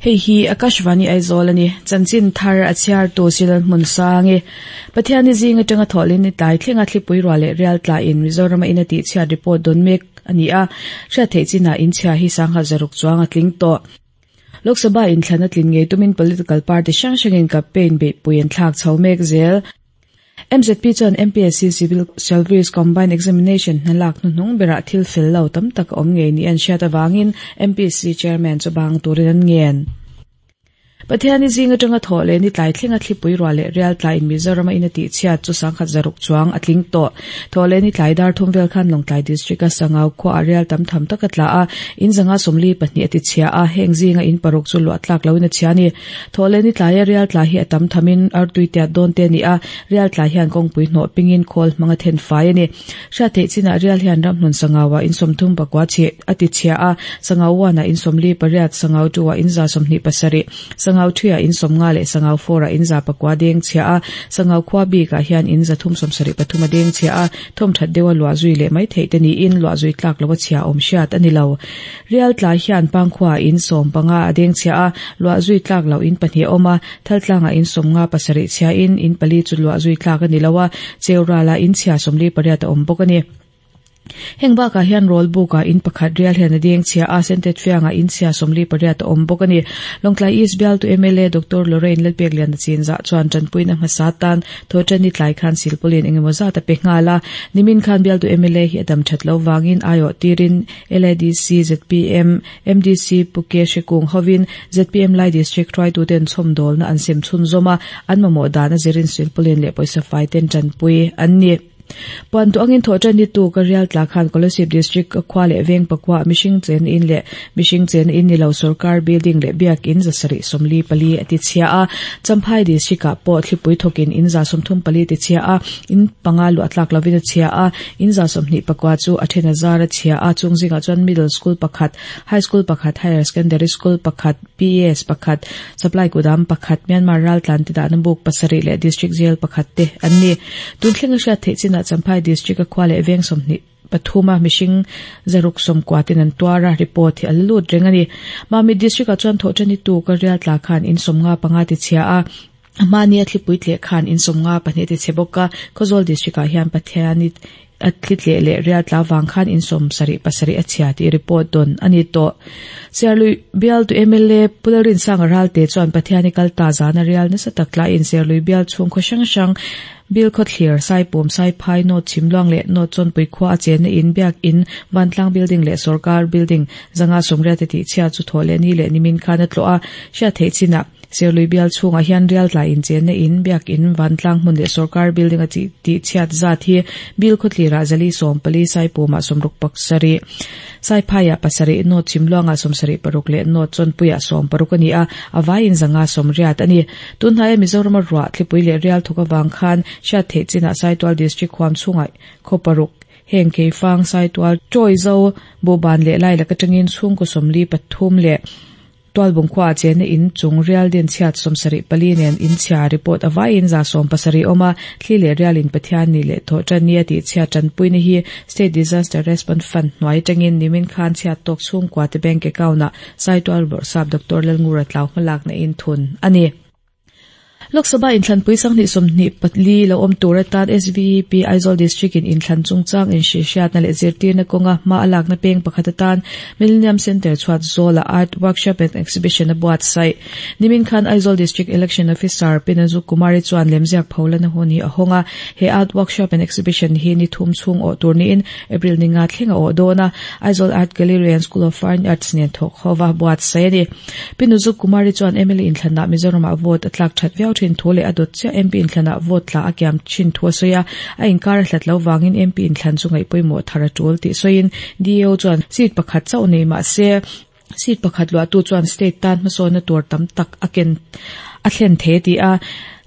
Hei hi Akashvani Aizawl a ni. Chanchin thar a chhiartu Silal Hmunsangi. Pathianni zing atanga thawhlin ni tlai thlenga thlipui ruah leh rial tla in Mizorama in a tihchhiat report dawn mek a ni a, hriat theih chinah inchhia hi sangha zaruk chuang a tling tawh. Lok Sabha inthlan a tlin ngei tumin political party hrang hrangin campaign beihpui an thlak chho mek zel. MZP chuan MPSC Civil Service Combined Examination hna lak hnuhnung berah thil fel lo tam tak a awm ngei ni an hriat avangin MPSC Chairman chu bang turin an ngen. Pathiani zing atanga thawh leh ni tlai thlenga thlipui ruah leh rial tlaiin Mizorama in a tihchhiat chu sangkhat zaruk chuang a tling tawh. Thawh leh ni tlai dar thum vel khan Lawngtlai District-a Sangau khuaah rial tam tham tak a tla a, in zanga 42 a tichhia a, heng zinga in paruk chu luah tlak loin a chhia a ni. Thawhlehni tlaia rial tla hi a tam thamin artui tiat dawn te a ni a, rial tla hian kawngpui hnawh pingin khawl hmang a then fai a ni. Hriat theih chinah rial hian ramhnun sangauah in 39 chih a ti chhia a, sangau one-ah in 48, sangau two-ah in 127, sangau three-ah in 50 leh sangau four-ah in 9 deng chhia a, sangau khua bikah hian in 373 a deng chhia a, thawmthat deuha luah zui leh mai theih te niin luah zui tlak loa chhia awm hriat a ni lo. Rial tlai hian Pangkhua in 15 a deng chhia a, luah zui tlak loh in pahnih a awm a, Thaltlangah in 57 chhia in, in pali chu luah zui tlak a ni lo a, Cheuralah in chhia 48 a awm bawk a ni. Heng bakah hian Rawlbukah in pakhat rial hian a deng chhia a, Sentet Fiangah in chhia 48 a awm bawk a ni. Lawngtlai East bialtu mla Doctor Lorraine Lalpekliana chinzah chuan tanpuina hmasa tan Thawhṭanni tlai khan silpawlin engemaw zat a pe nghal a, nimin khan bialtu mla hi a dam ṭhat lo vangin aiawh tirin LADC, zpm, MDC Pu Ke Hrikung hovin zpm Lai District hruaituten chhawmdawlna an sem chhunzawm a, an mamawh dan a zirin silpawlin leh pawisa fai ten tanpui an ni. Puan duh angin thawhṭanni tu ka rial tla khan Kolasib District a khua leh veng pakua mihring chen in leh mihring chen in ni lo sorkar building leh biakin 744 a ti chhia a, Champhai District ah pawh thlipui thawkin in 34 ti chhia a, in panga luah tlak lovin a chhia a, In 29 chu a then a zar a chhia a, chung zingah chuan Middle School pakhat, High School pakhat, Higher Secondary School pakhat, PES pakhat, Supply Kudam pakhat, Myanmar raltlan te dahna buk pasarih leh District Jail pakhat te an ni. Tun thlenga hriat theih chinah Champhai District a khua leh veng 23 a mihring 690 ten an tuar a, report hi a la lut reng a ni. Mamit District ah chuan thawhṭani tuk a rial tla khan in 55 ti chhia a, A hmani a thlipui tleh khan in 52 ti chhe bawk a, Khawzawl District ah hian Pathiani a thli tleh leh rial tla vang khan in 77 a chhia tih report dawn a ni tawh. Serlui bialtu mla Pu Lalrinsanga Ralte chuan Pathiani kal ta zana rial nasa tak tlaiin Serlui bial chhung khaw hrang hrang Bilkhawthlir, Saipum, Saiphai, North Chhimluang leh North Chawnpui khua a chenna in, Biak In, Vantlang Building leh Sorkar Building 580 tih chhia chu thawh leh ni leh nimin khan a tlawh a, hriat theih chinah Serlui bial chhungah hian rial tlai inchenna in, biak in, vantlang hmun leh sorkar building a tih chhiat zat hi Bill khawtlirah zali 14, Saipumah 67, Saiphaiah pasarih, North Chhimluangah 76 leh North Chawnpuiah 60 a ni a, a vaiin 580 a ni. Tunhnaia Mizorama ruah, thlipui leh rial thawk avang khan hriat theih chinah Saitual District huam chhungah khaw paruk, Heng Keifang, Saitual, Chawizo, Buhban leh Lailak atangin chhungkaw 43 leh Tualbung khuaah chenna in chung rial din chhiat 74 nen in chhia report a vaiin 70 awm a, thli leh rialin Pathian ni leh thawh tan ni a tih chhiat tanpuina hi State Disaster Response Fund hnuai atangin nimin khan chhiat tawk chhungkua te bank account ah Saitual Bawrhsap Doctor Lalngura tlau hmalakna in thun a ni. Lok Sabha inthlanpui 24 lo awm tur atan SVEP Aizawl District in inthlan chungchang inhrihhriatna leh zirtirna kawnga hma a lakna peng pakhat atan Millennium Centre chhuat zawlah Art Workshop and Exhibition a buatsaih. Nimin khan Aizawl District Election Officer Pinazu Kumari chuan lemziak pholana hun hi a hawng a, he Art Workshop and Exhibition hi ni thum chhung awh tur niin April ni nga thleng a awh dawn a, Aizawl Art Gallery and School of Fine Arts nen thawk hova buatsaih a ni. Pi Nuzuk Kumari chuan mla inthlanah Mizoramah vote a tlak that viau thin thu leh a dawt chiah MP inthlanah vote tla a kiam thin thu a sawi a, a inkar a hlat lo vangin MP inthlan chu ngaih pawimawh thar a tul tih sawiin DAO chuan seat pakhat chauh nei mah se seat pakhat luahtu chuan state tan hmasawnna tur tam tak a ken a thlen thei a ti a,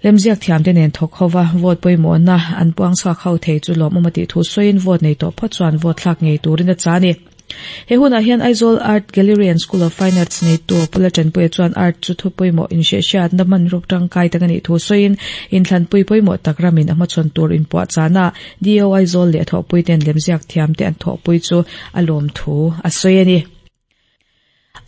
lemziak thiamte nen thawk hova vote pawimawhna an puang chhuak ho thei chu lawmawm a tih thu sawiin vote nei tawh phawt chuan vote thlak ngei turin a chah a ni. He hunah hian Aizawl Art Gallery and School of Fine Arts neitu Pula Tanpuia chuan art chu thu pawimawh inhrehhriatna hmanruk tangkai tak a nih thu sawiin inthlanpui pawimawh tak ramin a hmachhawn tur inpuahchahna DO Aizawl leh a thawhpuite'n lemziak thiamte an thawhpui chu a lawm thu a sawi a ni.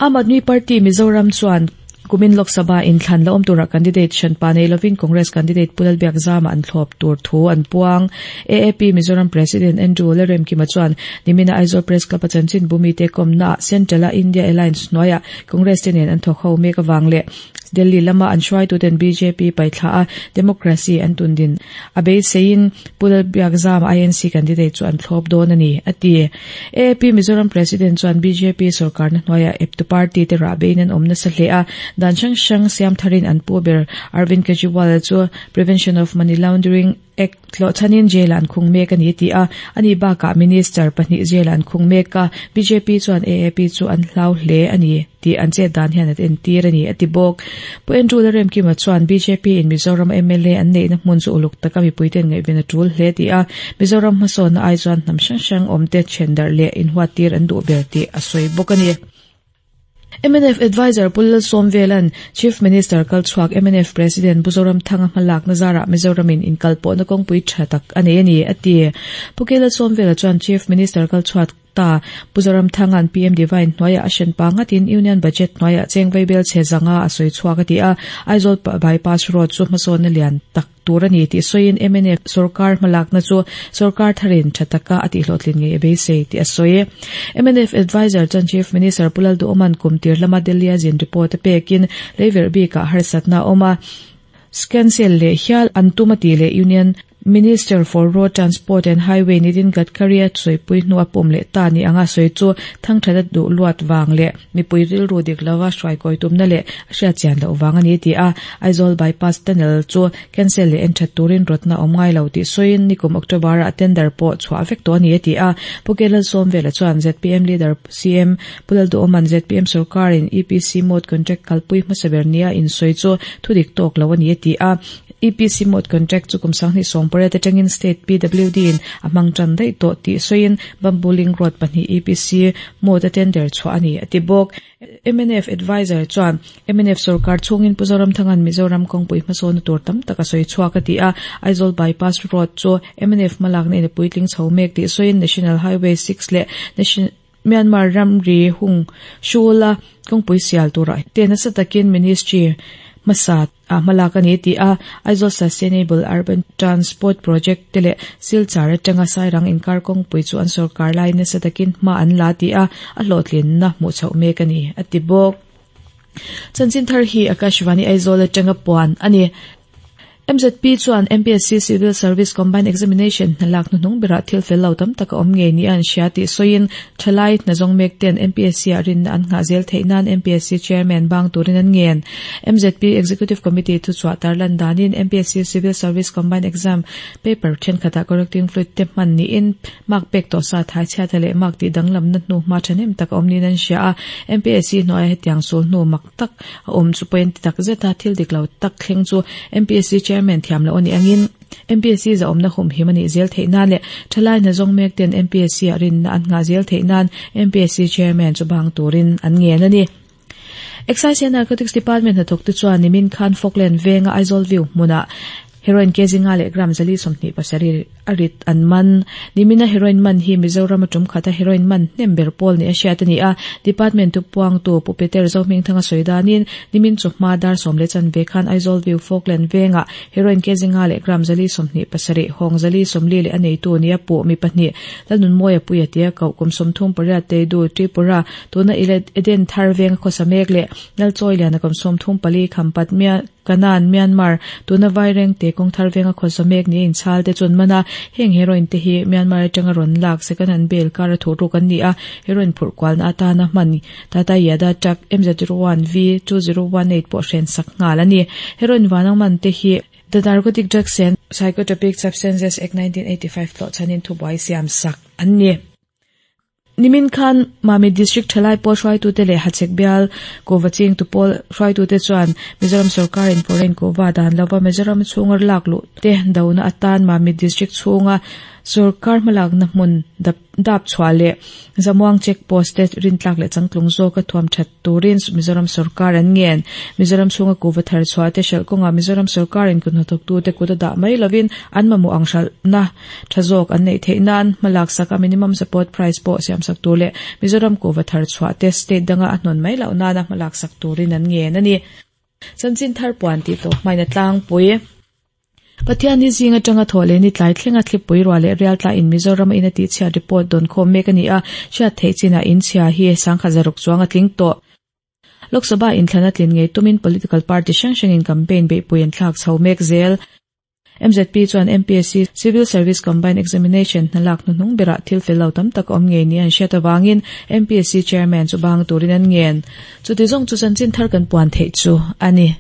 Aam Aadmi Party Mizoram chuan. Kumin Lok Sabha inthlan la awm turah candidate hranpa nei lovin Congress candidate Pu Lalbiakzama an thlawp tur thu an puang. AAP Mizoram President Andrew Lalremkima chuan nimina Aizawl Press Club a chanchinbu mite kawmnaah Central-a India Alliance hnuaiah Congress te nen an thawk ho mek avang leh Delhi lama an hruaituten bjp paihthla a democracy an tundin a beiseiin Pu Lalbiakzama INC candidate chu an thlawp dawn a ni, a ti. AAP Mizoram President chuan bjp sorkarna hnuaiah eptu party te rahbeiin an awm nasa hle a, dan hrang hrang siam tharin an pu ber Arvind Kejriwal chu Prevention of Money Laundering Act hlawhchhanin jail ah an khung mek a ni ti a, ani bakah Minister pahnih jail ah an khung mek a, bjp chuan AAP chu an hlau hle a ni tih an chet dan hian an entir a ni, a ti bawk. Pu Andrew Lalremkima chuan bjp in Mizoram mla an neihna hmun chu uluk taka mipuiten ngaihven a tul hle tih a, Mizoram hmasawnna ai chuan hnam hrang hrang awmte then darh leh inhuattir an duh ber tih a sawi bawk a ni. Mnf Adviser Pu Lalsawmvela'n Chief Minister kalchhuak mnf President Pu Zoramthanga hmalakna zarah Mizoramin inkalpawhna kawngpui tha tak a nei a ni, a ti. Pu K Lalsawmvela chuan Chief Minister kalchhuak ta Pu Zoramthanga'n PM Divine hnuaiah a hrenpa ngatin Union Budget hnuaiah cheng vaibel chhe zanga a sawi chhuak a ti a, Aizawl Bypass Road chu hmasawnna lian tak tur a ni tih sawiin mnf sorkar hmalakna chu sorkar tharin tha taka a tihhlawhtlin ngei a beisei tih a sawi. Mnf Adviser chuan Chief Minister Pu Lalduhawma'n kum tir lama Delhi-a zin report a pekin leiverh bikah harsatna a awm a, cancel leh hial an tum a tih leh Union Minister for Road Transport and Highway Nitin Gadkari-a sawipui hnua pawm leh ta ni anga sawi chu thangthat a duh luat vang leh mipui rilru dik lova hruaikawi tumna leh a hriatchian loh vang a ni ti a, Aizawl Bypass Tunnel chu cancel leh enthat turin rawtna awm ngai lo tih sawiin nikum October-ah tender pawh chhuah vek tawh a ni a ti a. Pu K Lalsawmvela chuan zpm leader CM Pu Lalduhawma'n zpm sorkarin EPC mode contract kalpui hmasa ber nia insawi chu thudik tawk lo a ni a ti a. EPC mode contract chu kum 2018 atangin state PWD in a hmang tan daih tawh tih sawiin Bamboo Link Road pahnih EPC mode a tender chhuah a ni a ti bawk. Mnf adviser chuan mnf sorkar chhungin Pu Zoramthanga'n Mizoram kawngpui hmasawna tur tam tak a sawi chhuak a ti a, Aizawl Bypass Road chu mnf hmalakna in a puitling chho mek tih sawiin National Highway 6 leh Myanmar ramri hung hrula kawngpui sial turah te nasa takin Ministry hmasa ah hmalak a ni tih a, Aizawl Sustainable Urban Transport Project te leh Silchar atanga Sairang inkar kawngpui chu an sorkar lai nasa takin hma an la tih a, a hlawhtlinna hmuh chhoh mek a ni, a ti bawk. Chanchin thar hi Akashvani Aizawl atanga puan a ni. MZP chuan MPSC Civil Service Combined Examination hna lak hnuhnung berah thil fel lo tam tak a awm ngei nia an hria tih sawiin thalai hna zawng mek ten MPSC ah rinna an nghah zel theih nan MPSC Chairman bang turin an ngen. MZP Executive Committee thuchhuah tarlan danin MPSC Civil Service Combined Exam paper thenkhatah correcting fluid te hman niin mark pek tawh sa thai chhiata leh mark tih danglamna hnu hma thahnem tak a awm niin an hria a. MPSC hnuaia hetiang sul hnu mak tak a awm chu pawhin ti tak zeta thil dik lo tak thleng chu MPSC Chairman thiam loh a nih angin MPSC zahawmna humhim a nih zel theih nan leh thalai hna zawng mek ten MPSC ah rinna an nghah zel theih nan MPSC Chairman chu bang turin an ngen a ni. Excise and Narcotics Department hnathawkte chuan nimin khan Falkland venga Aizawl View hmunah Heroin kg nga leh gram 427 a rit an man. Nimina heroin man hi Mizoram a tum khata heroin man hnem ber pawl ni a hriat a ni a. Department thupuangtu Pu Peter Zohmingthanga sawi danin nimin chu hma dar sawm leh chanve khan Aizawl View Falkland vengah heroin kg nga leh gram 427 hawng 440 leh a neitu nia puh mi pahnih Lalnunmawia Puia tia koh kum 38 Teidu Tripura tuna Eden Thar venga khawsa mek leh Lalchawi Liana kum 34 Khampat Kanan, Myanmar, tuna Vaireng te kawng thar venga khawsa mek ni a inchhal te chuan man a, heng heroin te hi Myanmar atanga rawn lak second hand bail kar a thuh ruk an ni a, heroin phurh kualna atana hman Tata Yada truck MZ01V2018 pawh hren sak nghal a ni. Heroin vanang man te hi The Narcotic Drugs and Psychotropic Substances Act 1985 tlawh chhanin thubuai siam sak an ni. Nimin khan Mamit District thalai pawl hruaitute leh Hachhek bial kuhva chingtu pawl hruaitute chuan Mizoram sorkarin foreign kuhva dan lova Mizoram chhunga lak luh te dona atan Mamit District chhunga Sorkar hmalakna hmun dap chhuah leh Zamuang Check Post te rintlak leh changtlung zawka thuam that turin Mizoram sorkar an ngen. Mizoram chhunga kuhva thar chhuah te hralh kawngah Mizoram sorkarin kut hnathawktute kut a dah mai lovin an mamawh ang hralhna tha zawk an neih theih nan hmalak saka minimum support price pawh siamsak tur leh Mizoram kuhva thar chhuah te state danga a hnawn mai loh nana hmalak sak turin an ngen a ni. Chanchin thar puan tih tawp hmain a tlangpui. Pathianni zing atanga thawh leh ni tlai thlenga thlipui ruah leh rial tlain Mizoram a in a tihchhiat report dawn khawm mek a ni a, hriat theih chinah in chhia hi sangkhat zaruk chuang a tling tawh. Lok Sabha inthlan a tlin ngei tumin political party hrang hrangin campaign beihpui an thlak chho mek zel. MZP chuan MPSC Civil Service Combined Examination hnalak hnuhnung berah thil fel lo tam tak a awm ngei nia an hriat avangin MPSC Chairman chu bang turin an ngen. Chuti zawng chu chanchin thar kan puan theih chu a ni.